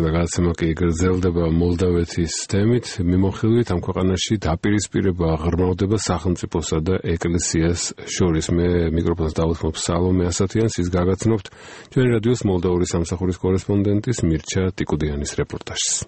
გადაცემა კი გრძელდება მოლდავეთის თემით, მიმოხილვით ამ ქვეყანაში დაპირისპირება აღრმავდება სახელმწიფოსა და ეკლესიას შორის. მე მიკროფონს დავუთმობ სალომე ასათიანს, ის გაგაცნობთ ჩვენი რადიოს მოლდავური სამსახურის კორესპონდენტის მირჩა ტიკუდიანის რეპორტაჟს.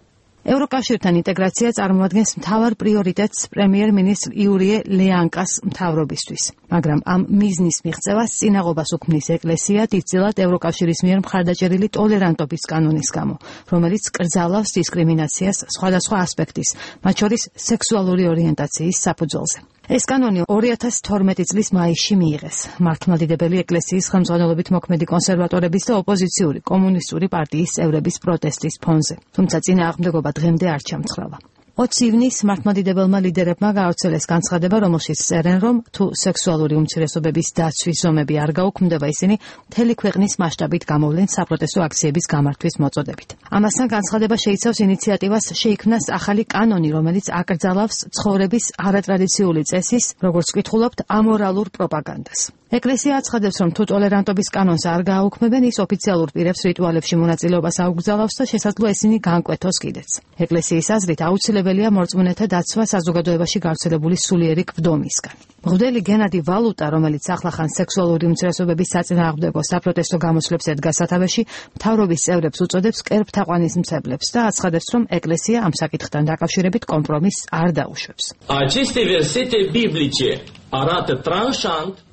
ევროკავშირთან ინტეგრაცია წარმოადგენს მთავარ პრიორიტეტს პრემიერ-მინისტრ იურიე ლეანკას მთავრობისთვის, მაგრამ ამ მიზნის მიღწევას წინაღობას უქმნის ეკლესია დიდწილად ევროკავშირის მიერ მხარდაჭერილი ტოლერანტობის კანონის გამო, რომელიც კრძალავს დისკრიმინაციას სხვადასხვა ასპექტის, მათ შორის სექსუალური ორიენტაციის საფუძველზე. ეს კანონი 2012 წლის მაისში მიიღეს მართლმადიდებელი ეკლესიის ხელმძღვანელობით მოქმედი კონსერვატორების და ოპოზიციური კომუნისტური პარტიის წევრების პროტესტის ფონზე. თუმცა წინააღმდეგობა დღემდე არ ჩამცხრალა. 20 ივნისს მართლმადიდებელმა ლიდერებმა გაავრცელეს განცხადება, რომელშიც წერენ, რომ თუ სექსუალური უმცირესობების დაცვის ზომები არ გაუქმდება, ისინი მთელი ქვეყნის მასშტაბით გამოვლენ საპროტესტო აქციების გამართვის მოწოდებით. ამასთან განცხადება შეიცავს ინიციატივას შეიქმნას ახალი კანონი, რომელიც აკრძალავს ცხოვრების არატრადიციული წესის, როგორც ვკითხულობთ, ამორალურ პროპაგანდას. ეკლესია აცხადებს, რომ თუ ტოლერანტობის კანონს არ გააუქმებენ, ის ოფიციალურ პირებს რიტუალებში მონაწილეობას აუგზავნავს და შესაძლოა ისინი გაანკვეთოს კიდეც. ეკლესიის აზრით აუცილებელია მორწმუნეთა დაცვა საზოგადოებაში გავრცელებული სულიერი კვდომისგან. მღვდელი გენადი ვალუტა, რომელიც ახლახან სექსუალური უმცირესობების საწინააღმდეგო საპროტესტო გამოსვლებს ედგა სათავეში, მთავრობის წევრებს უწოდებს კერპთაყვანისმცემლებს და აცხადებს, რომ ეკლესია ამ საკითხთან დაკავშირებით კომპრომისს არ დაუშვებს.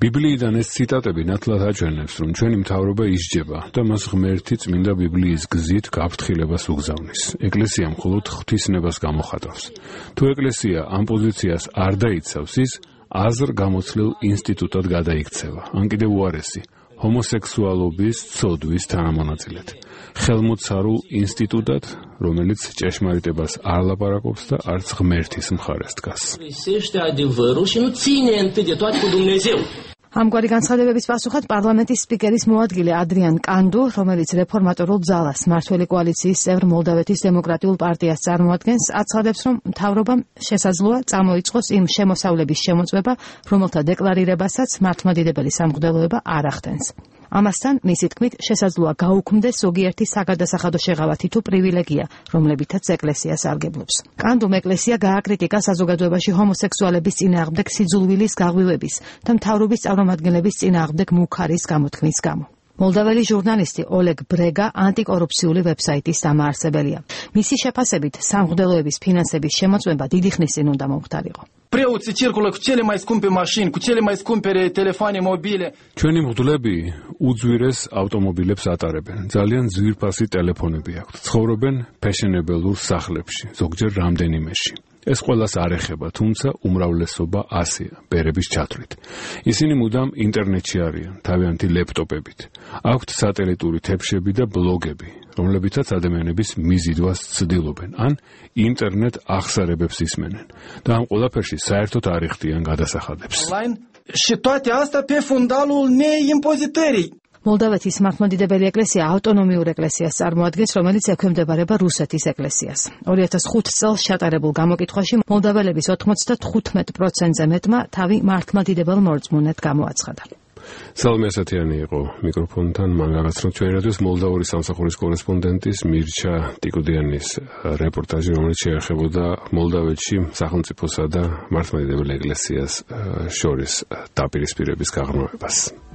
ბიბლიიდან ეს ციტატები ნათლად აჩვენებს, რომ ჩვენი მთავრობა ისჯება და მას ღმერთი წმინდა ბიბლიის გზით გაფრთხილებას უგზავნის. ეკლესია მხოლოდ ღვთისნებას გამოხატავს. თუ ეკლესია ამ პოზიციას არ დაიცავს, ის აზრ-გამოცდილ ინსტიტუტად გადაიქცევა. ან კიდევ უარესი, ჰომოსექსუალობის ცოდვის თანამონაწილედ. ხელმოცარულ ინსტიტუტად, რომელიც ჭეშმარიტებას არ ლაპარაკობს და არც ღმერთის მხარეს დგას. ამგვარი განცხადებების პასუხად პარლამენტის სპიკერის მოადგილე ადრიან კანდუ, რომელიც რეფორმატორულ ძალას მმართველი კოალიციის წევრ მოლდავეთის დემოკრატიულ პარტიას წარმოადგენს, აცხადებს, რომ მთავრობამ შესაძლოა წამოიწყოს იმ შემოსავლების შემოწმება, რომელთა დეკლარირებასაც მართლმადიდებელი სამღვდელოება არ ახდენს. ამასთან, მისი თქმით, შესაძლოა გაუქმდეს ზოგიერთი საგადასახადო შეღავათი თუ პრივილეგია, რომლებითაც ეკლესია სარგებლობს. კანდუმ ეკლესია გააკრიტიკა საზოგადოებაში ჰომოსექსუალების წინააღმდეგ სიძულვილის გაღვივების და მთავრობის წარმომადგენლების წინააღმდეგ მუქარის გამოთქმის გამო. მოლდაველი ჟურნალისტი ოლეგ ბრეგა ანტიკორუფციული ვებსაიტის დამაარსებელია. მისი შეფასებით, სამღვდელოების ფინანსების შემოწმება დიდი ხნის წინ უნდა მომხდარიყო. ჩვენი მღვდლები უძვირეს ავტომობილებს ატარებენ, ძალიან ძვირფასი ტელეფონები აქვთ, ცხოვრობენ ფეშენებელურ სახლებში, ზოგჯერ რამდენიმეში. ეს ყველას არ ეხება, თუმცა უმრავლესობა ასეა, ბერების ჩათვლით. ისინი მუდამ ინტერნეტში არიან, თავიანთი ლეპტოპებით. აქვთ სატელიტური თეფშები და ბლოგები, რომლებითაც ადამიანების მიზიდვას ცდილობენ, ან ინტერნეტ აღსარებებს ისმენენ. და ამ ყველაფერში საერთოდ არ იხდიან გადასახადებს. მოლდავეთის მართლმადიდებელი ეკლესია ავტონომიურ ეკლესიას წარმოადგენს, რომელიც ექვემდებარება რუსეთის ეკლესიას. 2005 წელს ჩატარებულ გამოკითხვაში მოლდაველების 95%-ზე მეტმა თავი მართლმადიდებელ მორწმუნედ გამოაცხადა. სალომე ასათიანი იყო მიკროფონთან, მან გაგაცნოთ ჩვენი რადიოს მოლდავური სამსახურის კორესპონდენტის მირჩა ტიკუდიანის რეპორტაჟი, რომელიც შეეხებოდა მოლდავეთში სახელმწიფოსა და მართლმადიდებელ ეკლესიას შორის დაპირისპირების გაღრმავებას.